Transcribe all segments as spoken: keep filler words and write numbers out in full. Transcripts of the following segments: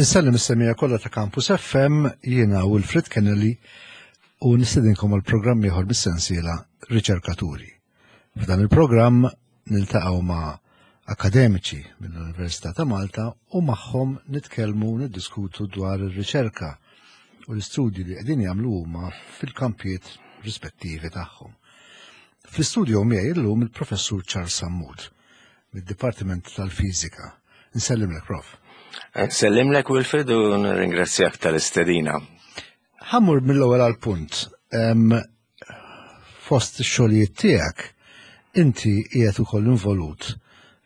Insellem is-semmiegħa kollha ta' Campus F M, jiena Wilfred Kennedy u nistedinkom għal programm ieħor bis-sensiela Riċerkaturi. F'dan il-programm niltaqgħu ma' akademiċi mill-Università ta' Malta u magħhom nitkellmu, niddiskutu dwar ir-riċerka u l-istudji li qegħdin jagħmlu huma fil-kampijiet rispettivi tagħhom. Fl-istudio miegħi illum il-Professur Charles Sammut mid-Dipartiment tal-Fiżika. Nsellimlek, Prof. Nsellimlek, Wilfred, u nirringrazzjak tal-istedina. Ħa mmur mill-ewwel għal-punt. Fost ix-xogħlijiet tiegħek inti qiegħed ukoll involut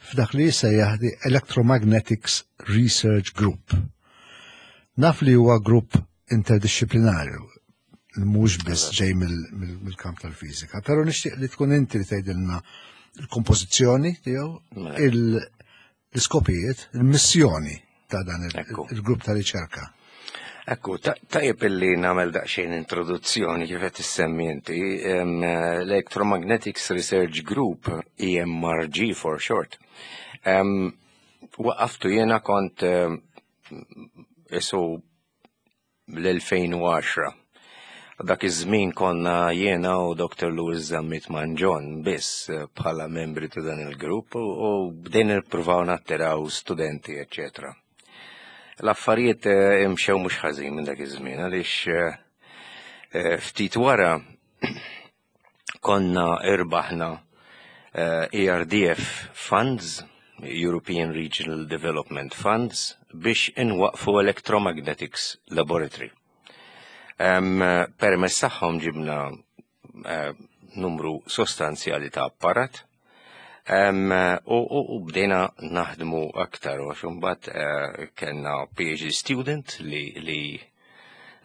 f'dak li jissejjaħ the Electromagnetics Research Group. Naf li huwa grupp interdisciplinarju, mhux biss ġej mill-kamp tal-fiżika, però nixtieq li tkun inti li tgħidilna il-kompożizzjoni tiegħu, Mela. l-iskopijiet, il-missjoni ta' dan Ekku. il-grupp ta' riċerka. Ekku, tajjeb illi nagħmel daqsxejn introduzzjoni kif qed issemmi inti. em, L-Electromagnetics Research Group, E M R G for short. Em, Waqqaftu jiena kont em, isu l-elfejn u għaxra. Dak iż-żmien konna jiena u Doctor Louis Zammit Mangion biss eh, bħala membri ta' dan il-grupp u, u bdejna nippruvaw nattiraw studenti, eccetera. L-affarijiet eh, imxew mhux ħażin minn dak iż-żmien għaliex eh, eh, ftit wara konna irbaħna eh, E R D F Funds, European Regional Development Funds, biex inwaqfu Electromagnetics Laboratory. Um, permezz tagħhom ġibna uh, numru sostanzjali ta' apparat um, u, u, u bdejna naħdmu aktar u għax imbagħad uh, kellna P H D student li, li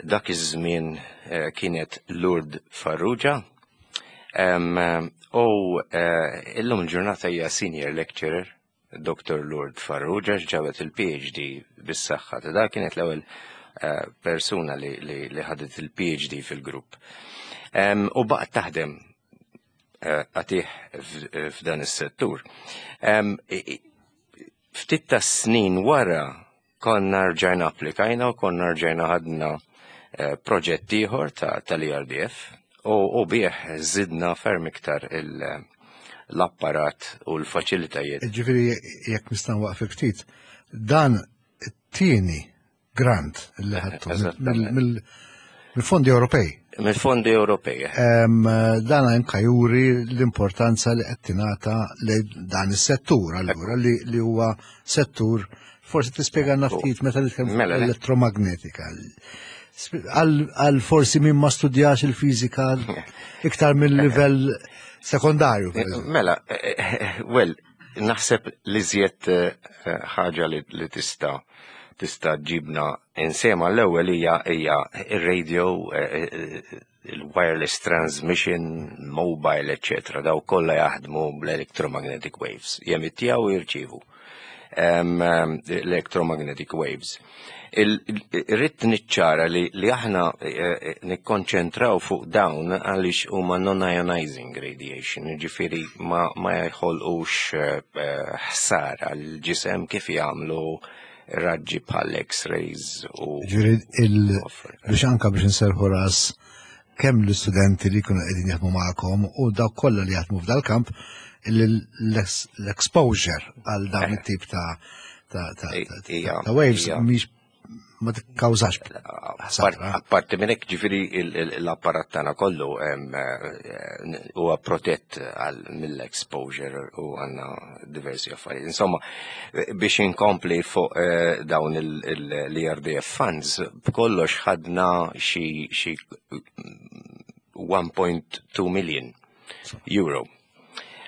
dak iż-żmien uh, kienet Lourdes Farrugia. Um, u uh, illum il-ġurnata hija senior lecturer, Doctor Lourdes Farrugia, ġabet il-P H D bis-saħħa ta' dak, kienet l-ewwel uh, persuna li, li, li ħadet il-P H D fil-grupp. Um, u baqgħet taħdem uh, għatih f'dan is-settur. Um, ftit ta' snin wara konna rġajna applikajna u konna rġajna ħadna uh, proġett ieħor tal-E R D F u, u bih zidna ferm iktar l-apparat u l-faċilitajiet. Ġifieri, jekk nista' nwaqfek ftit, dan it-tieni grant li ħadtu mill-fondi Ewropej. Mill-fondi Ewropej. Dan anka juri l-importanza li qed tingħata li dan is-settur allura li li huwa settur, forsi tispjegana ftit meta nitkellmu Mela, le. elettromagnetika. Għal forsi min ma studjax il-fiżika iktar mill-livell sekondarju, per eżempju. Mela, eh, eh, well, naħseb li żjed eh, ħaġa li, li tista' tista' ġibna insema l-ewwel hija hija ir-radio, il-wireless transmission, mobile, eccetera. Daw kollha jaħdmu bl-electromagnetic waves. Jemittjaw u jirċivu l-electromagnetic waves. Irrid niċċara li, li aħna eh, nikkonċentraw fuq dawn għaliex huma non-ionizing radiation, ġifieri ma, ma jħolqux eh, ħsara l-ġisem kif jagħmlu raġġi bħal X-rays u Ġifieri il- biex anka biex nserħu ras kemm l-istudenti li jkunu qegħdin jaħdmu magħkom u dawk kollha li jaħdmu f'dal-kamp, l-exposure għal dawn it-tip ta' ta' ta' ta' Ija, ta' waves ija. mhix ma tikkawżax ħsara. Apparti minn hekk, ġifieri il- il- l-apparat tagħna kollu em, eh, huwa protett għal mill-exposure u għandna diversi affarijiet. Insomma, eh, biex inkompli fuq eh, dawn l-E R D F funds, b'kollox ħadna xi xi one point two million euro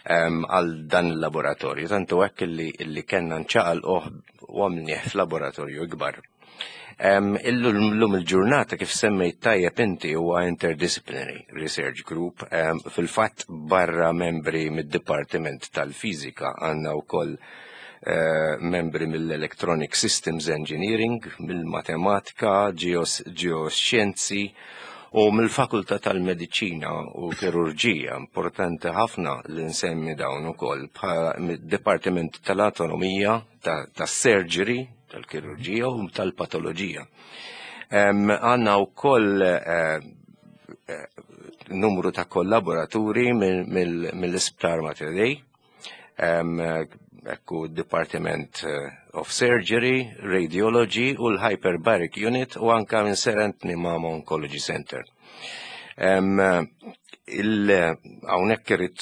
em, għal dan il-laboratorju. Tantu hekk illi, illi kellna nċaqalquh u għamilnieh f'laboratorju ikbar. Um, Illum il-ġurnata, kif semmejt tajjeb inti, huwa interdisciplinary research group. Um, Fil-fatt barra membri mid-Dipartiment tal-Fizika għandna wkoll uh, membri mill-Electronic Systems Engineering, mill-Matematika, Geoscienzi u mill-Fakultà tal-Mediċina u Kirurġija. Importanti ħafna li nsemmi dawn ukoll bħala mid-Dipartiment tal-Anatomija, tas-Surgery, tal-kirurġija u tal-patoloġija. Għandna wkoll eh, eh, numru ta' kollaboraturi mill-Isptar Mater Dei, ekku Department eh, of Surgery, Radiology u l-Hyperbaric Unit u anka minn Sir Anthony Mamo Oncology Center. Hawnhekk irrid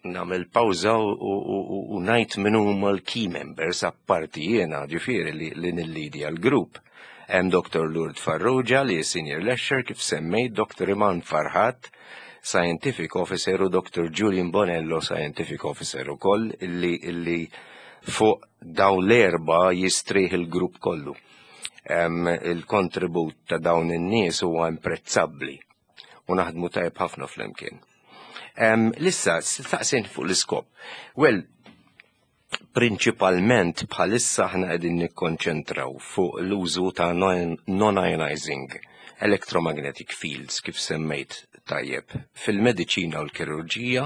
nagħmel pawża u ngħid min huma l-key members apparti jiena, ġifieri li, li nillidja l-grupp. Hemm Doctor Lourdes Farrugia li senior lecturer kif semmejt, Doctor Iman Farhat, Scientific Officer, u Doctor Julian Bonello, Scientific Officer ukoll, illi, illi fuq dawn l-erba jistrieħ il-grupp kollu. Il-kontribut ta' dawn in-nies huwa imprezzabbli u naħdmu tajb ħafna flimkien. Issa, staqsejt fuq l-iskop. Well, prinċipalment bħalissa ħna qegħdin nikkonċentraw fuq l-użu ta' non-ionizing electromagnetic fields, kif semmejt tajjeb, fil-mediċina u l-kirurġija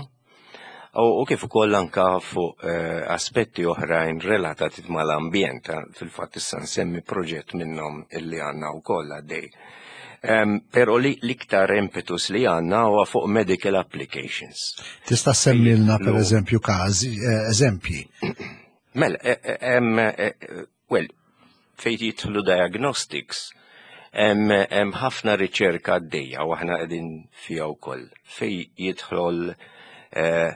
u kif ukoll anka fuq eh, aspetti oħrajn relatati mal-ambjent. Fil-fatt issa nsemmi proġett minnhom illi għandna wkoll għaddej. Um, pero li l-iktar impetus li għandna huwa fuq medical applications. Tista' semmilna per eżempju każi, eh, eżempji? Mela, eh, well, fejn jidħlu diagnostics, hemm ħafna riċerka għaddejja u aħna qegħdin fiha wkoll. Fejn jidħol eh,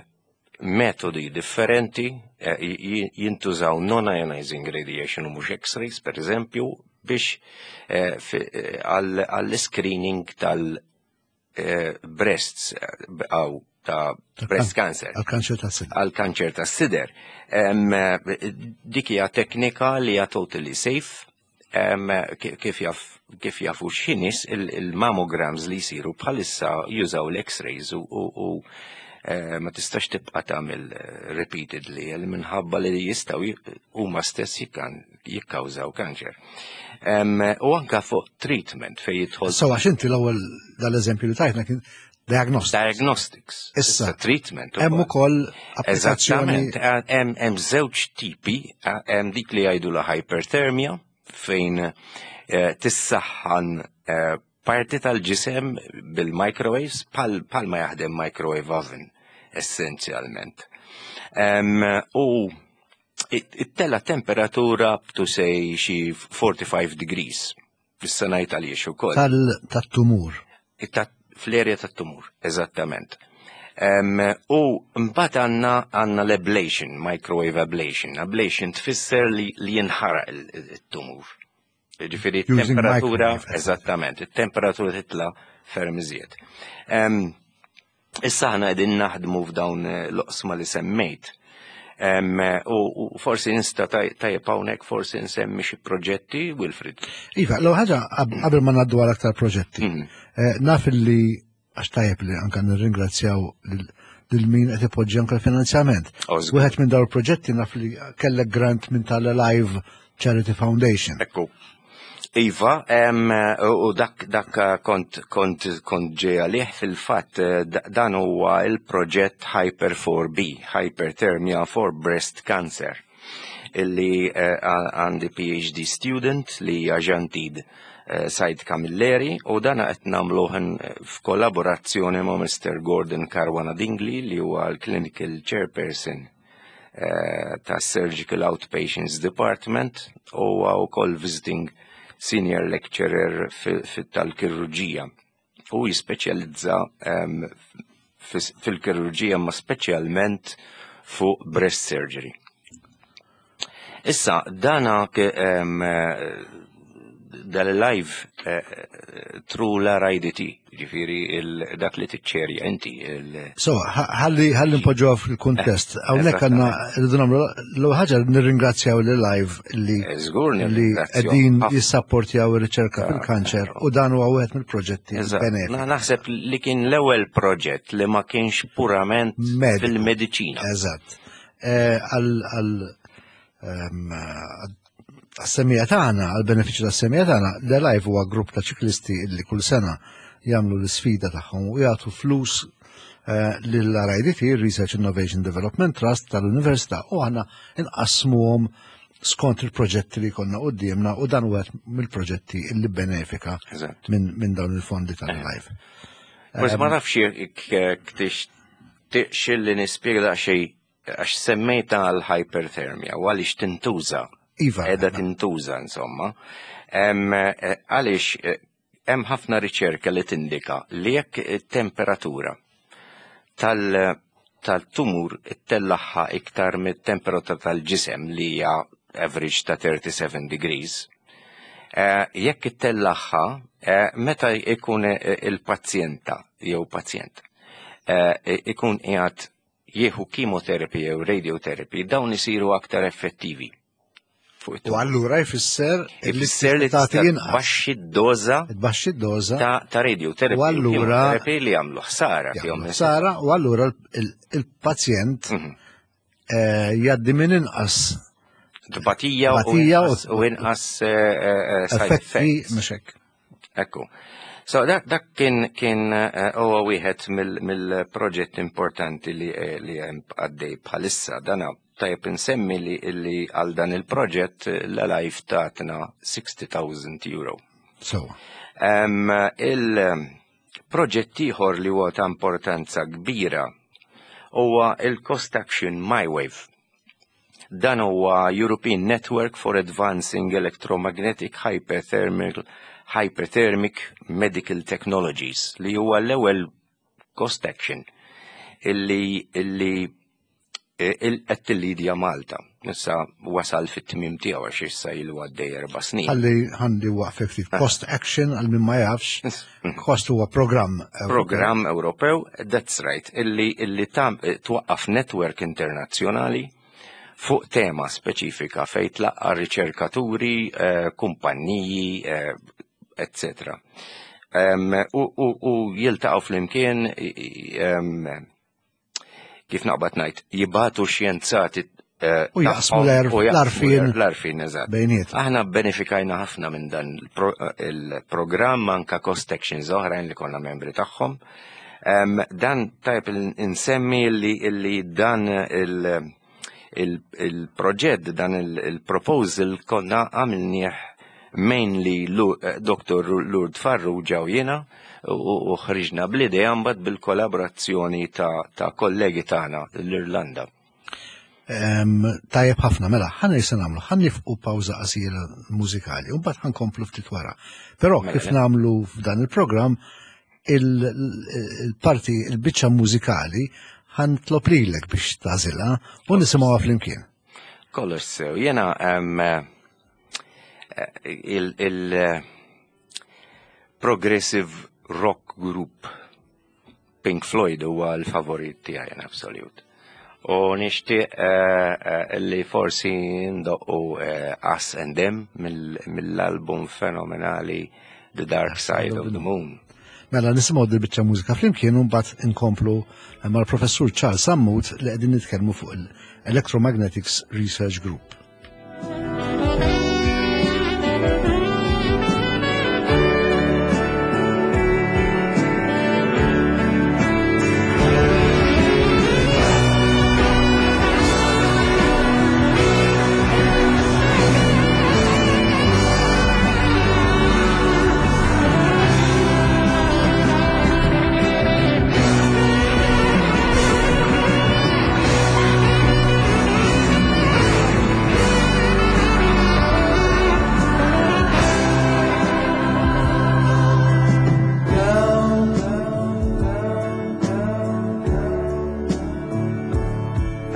metodi differenti, jintużaw non-ionizing radiation u mhux X-rays, per eżempju, biex għall-screening tal-breasts għaw ta' breast cancer. Għal-kanċer ta' sider. Għal-kanċer ta' sider. Dik hija teknika li hija totally safe. Kif jaf kif jafu xi nies, il-mammograms li jsiru bħalissa jużaw l-X-rays u eh, ma tistax tibqa' tagħmel eh, repeatedly minħabba li jistgħu huma stess jikkawżaw kanċer. U anka fuq treatment fej jidħol. So għax inti l-ewwel dal-eżempju li tajtna kien diagnostics. Diagnostics. Issa, treatment. Hemm ukoll applikazzjoni. Hemm żewġ tipi, hemm dik li jgħidu la hyperthermia, fejn eh, tissaħħan eh, parti tal-ġisem bil-microwaves pal, pal ma jaħdem microwave oven essenzjalment. U it-tella temperatura up to say xi forty-five degrees. Issa ngħid għaliex ukoll. Tal-tumur. Fl-area tat-tumur, eżattament. Um, u mbagħad għandna għandna l-ablation, microwave ablation. Ablation tfisser li, li jinħaraq il-tumur. Ġifieri temperatura, eżattament, il-temperatura titla ferm iżjed. Um, issa ħna qegħdin naħdmu f'dawn l-oqsma li semmejt. Um, u, u forsi nista tajjeb hawnhekk forsi nsemmi xi proġetti, Wilfrid. Iva, l ħaġa qabel ma ngħaddu għal aktar proġetti. Mm. Eh, naf li għax tajjeb li anka nirringrazzjaw lil min qed ipoġġi anka l-finanzjament. Wieħed minn dawn il-proġetti naf li kellek grant minn tal-Alive Charity Foundation. Ekku. Iva, u dak, dak kont, kont, kont ġej għalih fil-fatt, dan huwa il-proġett Hyper four B, Hyperthermia for Breast Cancer, illi eh, għandi P H D student li hija Jantid eh, Said Camilleri u dan qed nagħmluh f'kollaborazzjoni ma' Mister Gordon Caruana Dingli, li huwa l-Clinical Chairperson eh, ta' Surgical Outpatients Department u wkoll visiting senior lecturer tal-kirurġija. U jispeċjalizza fil-kirurġija, ma speċjalment fuq breast surgery. Issa, dana dal-live eh, through l-R I D T, ġifiri dak li tiċċerja inti. So, ħalli ħalli npoġġuha fil-kuntest. Hawnhekk għandna rridu nagħmlu l ħaġa, nirringrazzjaw li live li eh, Żgur. Li qegħdin jissapportjaw ir-riċerka fil-kanċer u dan huwa wieħed mill-proġetti. Naħseb li kien l-ewwel proġett li ma kienx purament fil-mediċina. Eżatt. Eh, għal għas-semmiegħa tagħna, għal-benefiċċju tas-semmiegħa tagħna, The Live huwa grupp ta' ċiklisti li kull sena jagħmlu l-isfida tagħhom u jagħtu flus eh, lill-R I D T, Research Innovation Development Trust tal-Università, u aħna nqassmuhom skont il-proġetti li konna quddiemna u dan wieħed mill-proġetti li benefika Eżatt. minn min dawn il-fondi tal-Alive. Forsi ma nafx jekk tixtieqx li nispjega daqsxejn għax semmejta għal hyperthermia u għaliex tintuża. Iva. Edha tintuża insomma. Em, eh, Għaliex eh, hemm ħafna riċerka li tindika li jekk it-temperatura tal- tal-tumur ittellagħha iktar mit-temperatura tal-ġisem li hija average ta' thirty-seven degrees, eh, jekk ittellagħha eh, meta ikun eh, il-pazjenta jew pazjent eh, ikun qiegħed jieħu chemotherapy jew radiotherapy, dawn isiru aktar effettivi fuq U it-tumur. allura jfisser li Ifisser li tagħti tista' inqas. tbaxxi d-doża Tbaxxi d-doża ta' ta' radiotherapy U allura- chemotherapy li jagħmlu ħsara fihom. jagħmlu ħsara u allura il- il-pazjent Mhm. eh, jgħaddi minn inqas Tbatija u Tbatija u- inqas- u inqas eh, eh, side effetti effects. mhux hekk. Ekku. So dak dak kien kien eh, huwa wieħed mill-proġett importanti li eh, li hemm għaddej bħalissa. Dana tajjeb insemmi li li għal dan il-proġett eh, l-Alive tatna sixty thousand euro. So, Um, il-proġett ieħor li huwa ta' importanza kbira huwa il-Cost Action MyWave. Dan huwa European Network for Advancing Electromagnetic Hyperthermal Hyperthermic Medical Technologies li huwa l-ewwel Cost Action illi illi qed tillidja Malta. Issa wasal fit-tmim tiegħu għax issa ilu għaddej erba' snin. Ħalli ħalli waqfek ftit. Cost Action, għal min ma jafx, Cost huwa programm Ewropew. Programm Ewropew, that's right, illi, illi tam, twaqqaf network internazzjonali fuq tema speċifika fejn tlaqqa riċerkaturi, eh, kumpanniji, eh, et cetera. Um, u, u, u jiltaqgħu flimkien i- i- em, kif naqbad ngħid, jibagħtu xjenzati eh, U jaqsmu tagħhom l-għerf- u jaqsmu l-għarfien l-għarfien, eżatt. bejniethom. Aħna benefikajna ħafna minn dan il-pro- il-programm anka cost actions oħrajn li konna membri tagħhom. Em, dan tajb insemmi li, li dan il- il- il-proġett, dan il- il-proposal konna għamilnieh mainly Lu- eh, Doctor Lourdes Farrugia u jiena u u ħriġna bl-idea mbagħad bil-kollaborazzjoni ta', ta' kollegi tagħna l-Irlanda. Em, Tajjeb ħafna, mela, ħa se nagħmlu, ħa nieqfu pawża qasira mużikali, u mbagħad ħa nkomplu ftit wara. Però Mela, kif le. nagħmlu f'dan il-programm, il-parti, il-biċċa mużikali ħa nitlob lilek biex tagħżilha u nisimgħuha flimkien. Kollox sew. Jena em, eh, il, il eh, progressive rock group Pink Floyd huwa l-favorit tiegħi in absolute. U nixtieq eh, eh, li forsi ndoqqu eh, Us and Them mill- mill-album fenomenali The Dark Side of the Moon. Mela nisimgħu dil-biċċa mużika flimkien u mbagħad inkomplu mal-professur Charles Sammut li qegħdin nitkellmu fuq il-Electromagnetics Research Group.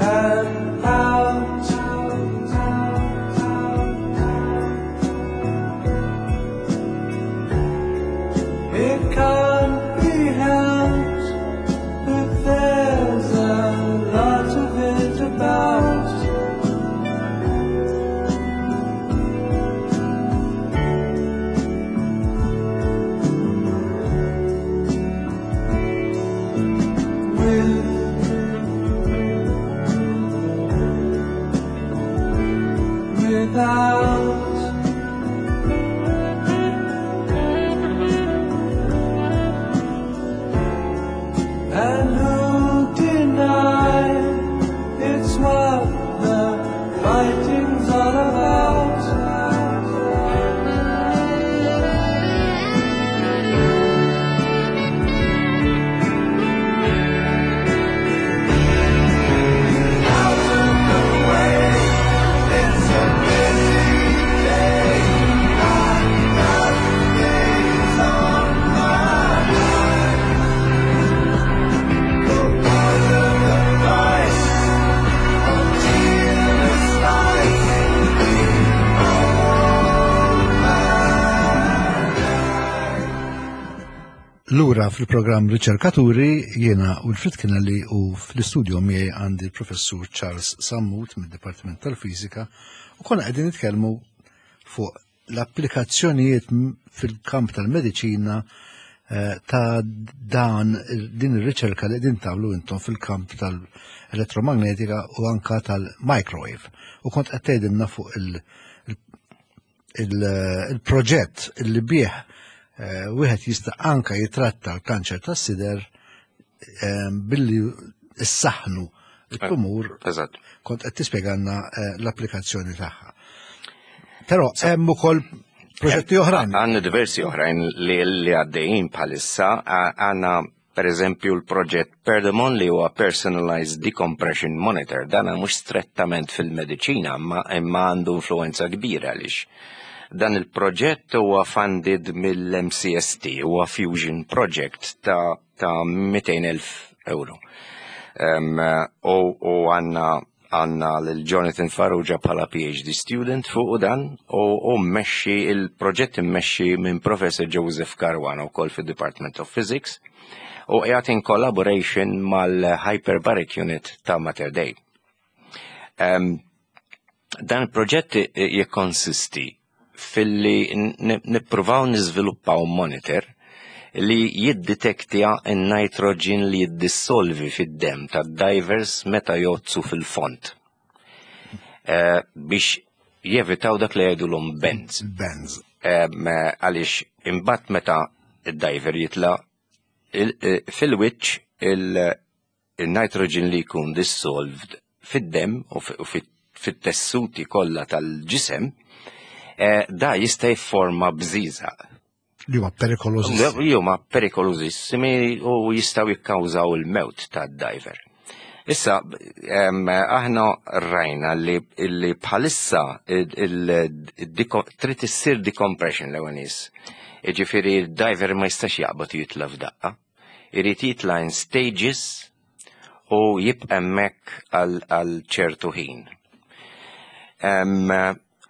And out. It can't be helped, but there's a lot of it about. With without. Lura fil-programm Riċerkaturi, jiena Wilfred Kennelly u fl-istudio miegħi għandi l-professur Charles Sammut mid-Dipartiment tal-Fiżika u konna qegħdin nitkellmu fuq l-applikazzjonijiet fil-kamp tal-mediċina eh, ta' dan din ir-riċerka li qegħdin tagħmlu intom fil-kamp tal-elettromagnetika u anka tal-microwave. U kont qed tgħidilna fuq il-proġett il bih eh, wieħed jista' anka jitratta l-kanċer tas-sider eh, billi issaħnu il-tumur. Eżatt. Kont qed tispjegalna eh, l-applikazzjoni tagħha. Però hemm ukoll proġetti oħrajn. Għandna diversi oħrajn li li għaddejjin bħalissa. Għandna per eżempju l-proġett Perdemon, li huwa Personalized Decompression Monitor. Dan mhux strettament fil-mediċina, ma imma għandu influenza kbira, għaliex dan il-proġett huwa funded mill-M C S T, huwa Fusion Project ta', ta mitejn elf euro. Um, u, u għandna għandna l-Jonathan Farrugia bħala P H D student fuq dan u, u mmexxi il-proġett immexxi minn Professor Joseph Caruana wkoll fid-Department of Physics u qiegħed in collaboration mal-Hyperbaric Unit ta' Mater Dei. Um, dan il-proġett jikkonsisti filli nippruvaw niżviluppaw monitor li jiddetektja n-nitrogen li jiddissolvi fid-dem ta' divers meta jgħodsu fil-fond. Uh, biex jevitaw dak li jgħidulhom bends. Bends. Għaliex imbagħad meta id-diver jitla fil-wiċċ, il-nitrogen li jkun dissolved fid-dem u fit-tessuti kollha tal-ġisem, eh, da jista' jifforma bżiżaq. Li huma perikolożissimi. Li huma perikolożissimi u jistgħu jikkawżaw il-mewt tad-diver. Issa, em, aħna rajna li, li bħalissa il- il- il- trid issir decompression l-ewwel nies. Jiġifieri il-diver ma jistax jaqbad jitla f'daqqa. Irid jitla in stages u jibqa' hemmhekk għal għal ċertu ħin. Em,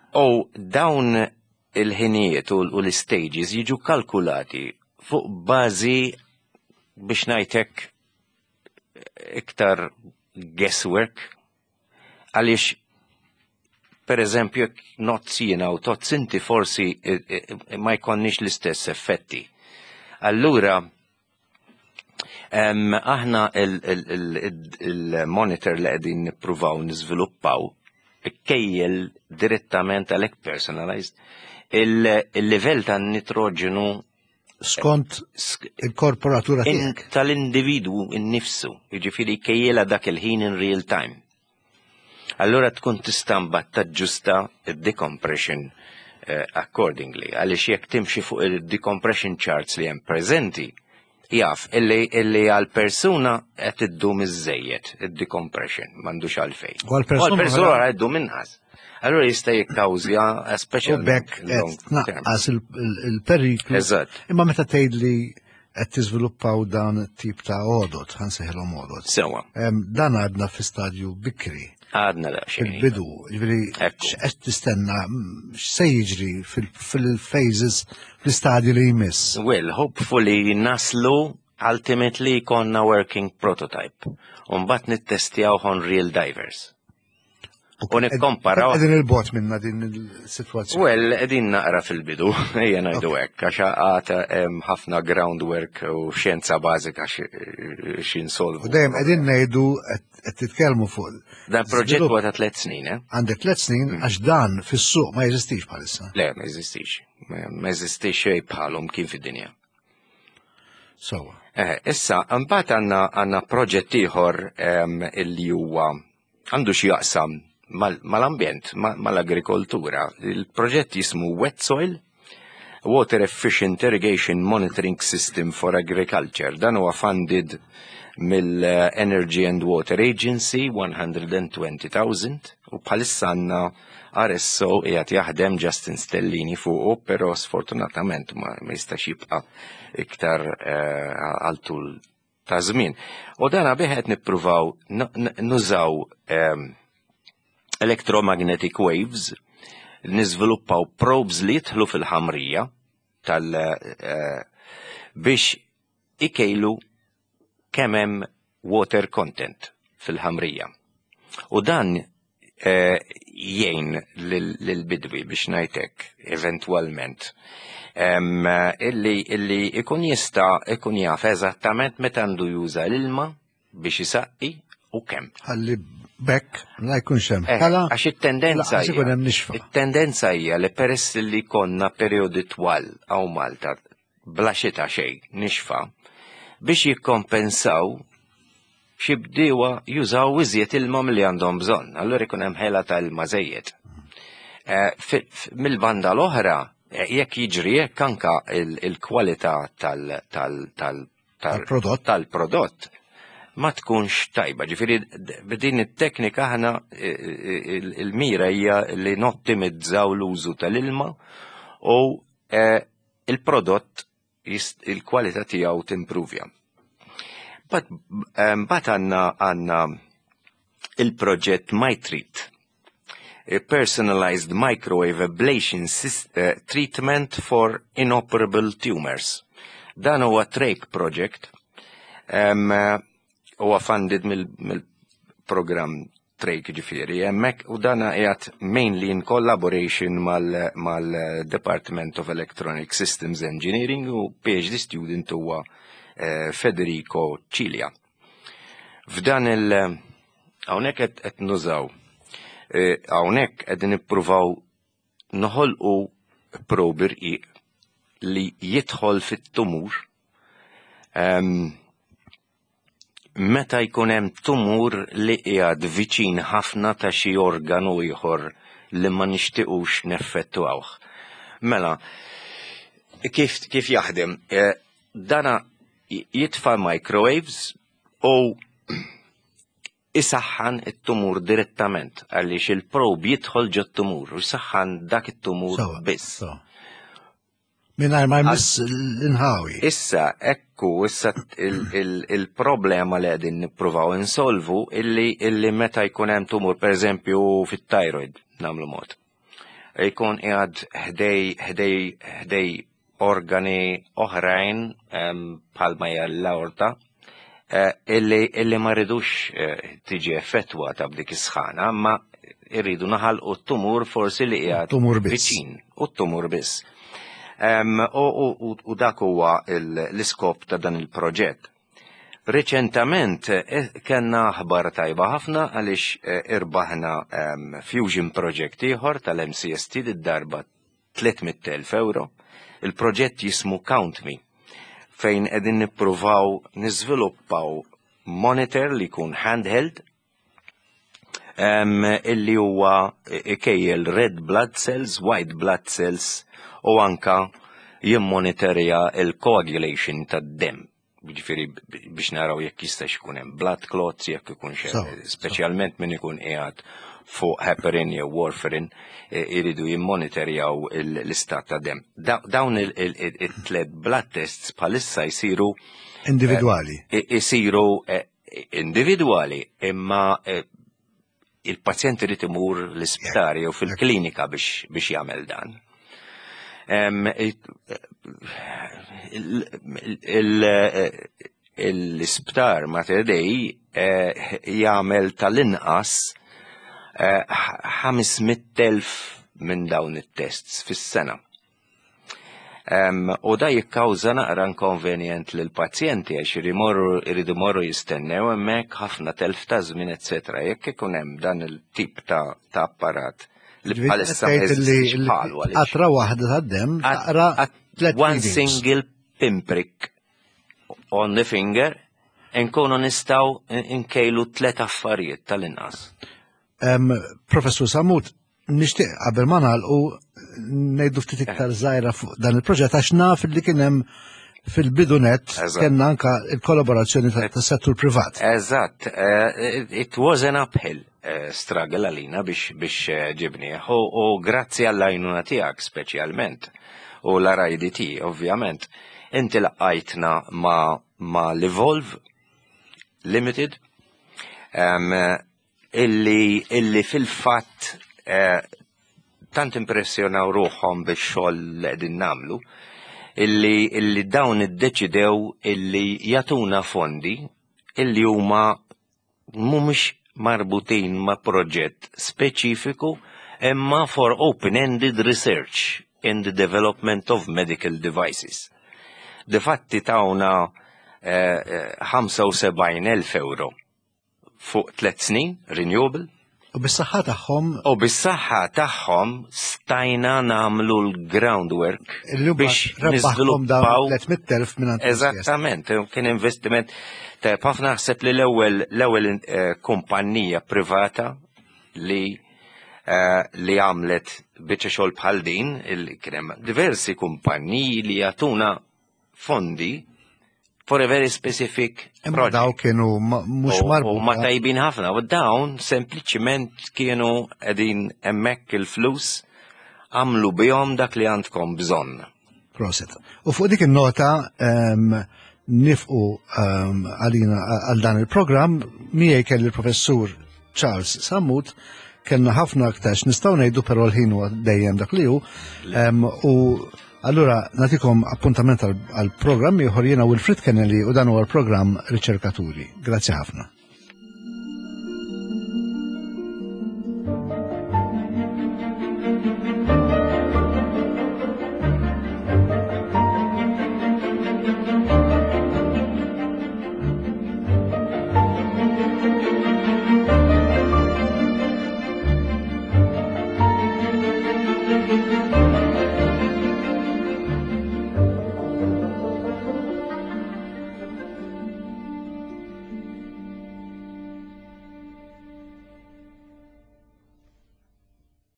U dawn il-ħinijiet u u l-stages jiġu kalkulati fuq bażi, biex ngħidlek, iktar guesswork, għaliex per eżempju jekk ngħodd jiena u tgħodd inti, forsi eh, eh, ma jkonniex l-istess effetti. Allura, em, aħna il-monitor li qegħdin nippruvaw niżviluppaw ikkejjel direttament, għalhekk personalized, il-livell ta' nitroġenu Skont sk- il-korporatura in- tiegħek. Tal-individu innifsu, jiġifieri kejjela dak il-ħin in real time. Allura tkun tista' mbagħad taġġusta id-decompression eh, accordingly, għaliex jekk timxi fuq il-decompression charts li hemm preżenti, jaf illi, illi għal persuna qed iddum iżejjed id-decompression, m'għandux għalfejn. U għal-persuna U għal-persuna oħra- qed iddum inqas. Allura jista' jikkawżja U speċjalment bekk qed long term. tnaqqas il- il- il-periklu. Eżatt. Imma meta tgħid li qed tiżviluppaw dan it-tip ta' għodot, ħa nsejħilhom għodot. Sewa, Em, Dan għadna fi stadju bikri. Għadna daqsxejn. Fil-bidu, ġifieri Ekku. x'qed tistenna, mm, x'se jiġri fil- fil-phases, fl-istadju li jmiss? Well, hopefully naslu ultimately konna working prototype. Umbagħad nittestjaw on real divers. U nikkomparaw. Qegħdin 'il bogħod minna din il-sitwazzjoni? Well, qegħdin naqra fil-bidu, ejja ngħidu hekk, għax għad hemm ħafna groundwork u xjenza bażika x'insolvu. U dejjem qegħdin ngħidu, qed titkellmu fuq. Dan proġett huwa ta' tliet snin, eh? Għandek tliet snin, għax dan fis-suq ma jeżistix bħalissa. Le, ma jeżistix. Ma jeżistix xejn bħalhom kien fid-dinja. Sewwa. Eh, issa, mbagħad għandna għandna proġett ieħor illi huwa għandu xi jaqsam mal-ambjent, mal-agrikoltura. Il-proġett jismu Wet Soil, Water Efficient Irrigation Monitoring System for Agriculture. Dan huwa funded mill-Energy and Water Agency, mija u għoxrin elf, u bħalissa għandna R S O qiegħed jaħdem Justin Stellini fuqu, però sfortunatament ma, ma jistax jibqa' iktar eh, għal tul ta' żmien. U dana bih qed nippruvaw nużaw um, electromagnetic waves, niżviluppaw probes li jidħlu fil-ħamrija tal uh, biex ikejlu kemm hemm water content fil-ħamrija. U dan eh, jgħin lil-bidwi biex ngħidlek eventwalment em, illi, illi ikun jista' ikun jaf eżattament meta għandu juża l-ilma biex isaqqi u kemm. Ħalli bekk la jkunx hemm Eh, ħela. Għax it-tendenza lanqas ikun hija- hemm nixfa. it-tendenza hija li peress li konna periodi twal hawn Malta bla xita xejn nixfa biex jikkompensaw xi bdiewa jużaw iżjed ilma milli għandhom bżonn, allura ikun hemm ħela ta' ilma żejjed. Eh, fi- f- Mill-banda l-oħra, eh, jekk jiġri jekk anka il- il-kwalità tal- tal- tal- tal- Tal-prodott. tal-prodott ma tkunx tajba. Ġifieri d- b'din it-teknika aħna eh, eh, il- il-mira hija li nottimizzaw l-użu tal-ilma u eh, il-prodott jist- il-kwalità tiegħu timpruvja. But bat għandna għandna il-proġett MyTreat, a personalized microwave ablation sys- eh, treatment for inoperable tumors. Dan huwa TRAKE project, um, huwa funded mill-program TRAKE ġifieri, hemmhekk u dana qiegħed mainly in collaboration mal-Department of Electronic Systems Engineering u P H D student huwa eh, Federico Cilia. F'dan il- hawnhekk qed qed nużaw eh, hawnhekk qegħdin nippruvaw noħolqu probe irqiq li jidħol fit-tumur em, meta jkun hemm tumur li qiegħed viċin ħafna ta' xi organu ieħor li ma nixtiequx neffettwawh. Mela, kif, kif jaħdem? Eh, dana jitfa' microwaves u isaħħan it-tumur direttament għaliex il-probe jidħol ġo tumur u jisaħħan dak it-tumur Sewa, biss. Sewa. Mingħajr ma jmiss l-inħawi. Issa, ekku, issa il- il- il-problema li qegħdin nippruvaw insolvu illi, illi meta jkun hemm tumur, per eżempju, fit-thyroid, nagħmlu mod. Jkun qiegħed ħdej ħdej ħdej organi oħrajn em, bħalma hija l-aorta, eh, illi, illi ma rridux eh, tiġi effettwata b'dik is-sħana, ma irridu naħalqu t-tumur forsi li qiegħed Tumur biss. viċin, u t-tumur biss. Em, U, u, u, u dak huwa il- l-iskop ta' dan il-proġett. Reċentament eh, kellna aħbar tajba ħafna għaliex eh, irbaħna em, Fusion Project ieħor tal-M C S T, d-darba tliet mitt elf euro. Il-proġett jismu Count Me, fejn qegħdin nippruvaw niżviluppaw monitor li jkun handheld um, illi huwa ikejjel red blood cells, white blood cells u anka jimmonitorja il-coagulation tad-dem. Ġifieri biex naraw jekk jistax ikun hemm blood clots, jekk ikun xe, Sewa, speċjalment min ikun qiegħed fuq heparin jew warfarin, eh, iridu jimmonitorjaw il- l-istat ta' dem. Da- Dawn il-tlet blood tests bħalissa jsiru Individwali. i- isiru eh, individwali, imma eh, il-pazjent irid imur l-isptar jew fil-klinika biex biex jagħmel dan. Em, it- il- il- L-isptar Mater Dei eh, jagħmel tal-inqas eh, ħames mitt elf minn dawn it-tests fis-sena. Um, u da jikkawża naqra inconvenient lil pazjenti għax imorru iridu morru jistennew hemmhekk, ħafna telf ta' żmien, eċetera. Jekk ikun hemm dan il-tip ta', ta' apparat li Ġifieri bħalissa ma tgħid li jeżistix bħalu għaliex. Qatra waħda tad-dem taqra At- tlet one readings. single pinprick on the finger nkunu nistgħu nkejlu tlet affarijiet tal-inqas. Em, Professur Sammut, nixtieq qabel ma nagħlqu ngħidu ftit iktar żgħira fuq dan il-proġett għax naf li kien hemm fil-bidunet Eżatt. kellna anka il-kollaborazzjoni ta- tas-settur privat. Eżatt, eh, it was an uphill eh, struggle għalina biex biex eh, ġibnieh u, u grazzi għall-għajnuna tiegħek speċjalment u l-R I D T ovvjament. Inti laqqajtna ma, ma l-Evolve Limited um, illi, illi fil-fatt eh, tant impressjonaw ruħhom bix-xogħol li qegħdin nagħmlu illi, illi dawn iddeċidew illi jagħtuna fondi illi huma mhumiex marbutin ma' proġett speċifiku imma for open-ended research in the development of medical devices. Difatti tawna eh, eh, ħamsa u sebgħin elf euro fuq tliet snin, renewable. U bis-saħħa tagħhom U bis-saħħa tagħhom stajna nagħmlu l-groundwork illi biex rebbaħkom dawn niżviluppaw tliet mitt elf minn Eżattament, kien investiment ta' ħafna. Naħseb li l-ewwel l-ewwel eh, kumpanija privata li eh, li għamlet biċċa xogħol bħal din, il- kien hemm diversi kumpaniji li jagħtuna fondi for a very specific Imma project. daw kienu ma- mhux U- U ma marbuta. tajbin ħafna, u dawn sempliċiment kienu qegħdin hemmhekk il-flus, għamlu bihom dak li għandkom bżonn. Prosit. U fuq dik il-nota em, nieqfu em, għalina għal dan il-programm. Miegħi kelli il-professur Charles Sammut. Kellna ħafna aktar nistgħu ngħidu, però l-ħin huwa dejjem dak li hu. Em, u allura nagħtikom appuntament għal- għal programm ieħor. Jiena Wilfred Kennelly u dan huwa l-programm Riċerkaturi. Grazzi ħafna. Thank